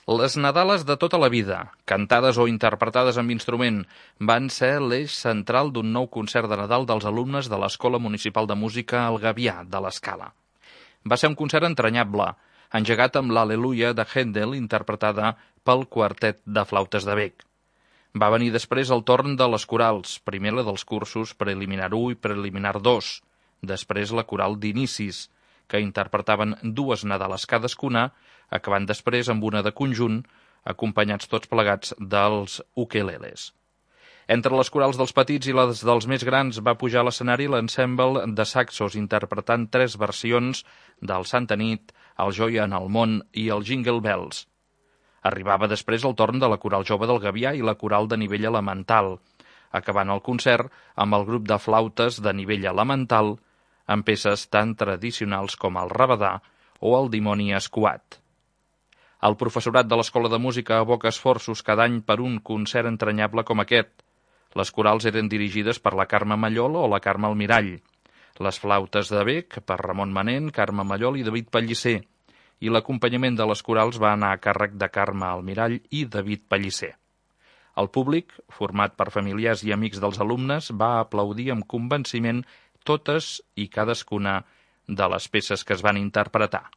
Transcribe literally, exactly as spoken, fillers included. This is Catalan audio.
Les nadales de tota la vida, cantades o interpretades amb instrument, van ser l'eix central d'un nou concert de Nadal dels alumnes de l'Escola Municipal de Música El Gavià, de l'Escala. Va ser un concert entranyable, engegat amb l'Al·leluia de Händel, interpretada pel quartet de flautes de Bec. Va venir després el torn de les corals, primer la dels cursos preliminar u i preliminar dos, després la coral d'inicis, que interpretaven dues nadales cadascuna, acabant després amb una de conjunt, acompanyats tots plegats dels ukeleles. Entre les corals dels petits i les dels més grans va pujar a l'escenari l'ensemble de saxos, interpretant tres versions del Santa Nit, el Joia en el món i el Jingle Bells. Arribava després el torn de la coral jove del Gavià i la coral de nivell elemental, acabant el concert amb el grup de flautes de nivell elemental, amb peces tan tradicionals com el rabadà o el dimoni escuat. El professorat de l'Escola de Música aboca esforços cada any per un concert entranyable com aquest. Les corals eren dirigides per la Carme Mallol o la Carme Almirall, les flautes de Bec per Ramon Manent, Carme Mallol i David Pellicer, i l'acompanyament de les corals va anar a càrrec de Carme Almirall i David Pellicer. El públic, format per familiars i amics dels alumnes, va aplaudir amb convenciment totes i cadascuna de les peces que es van interpretar.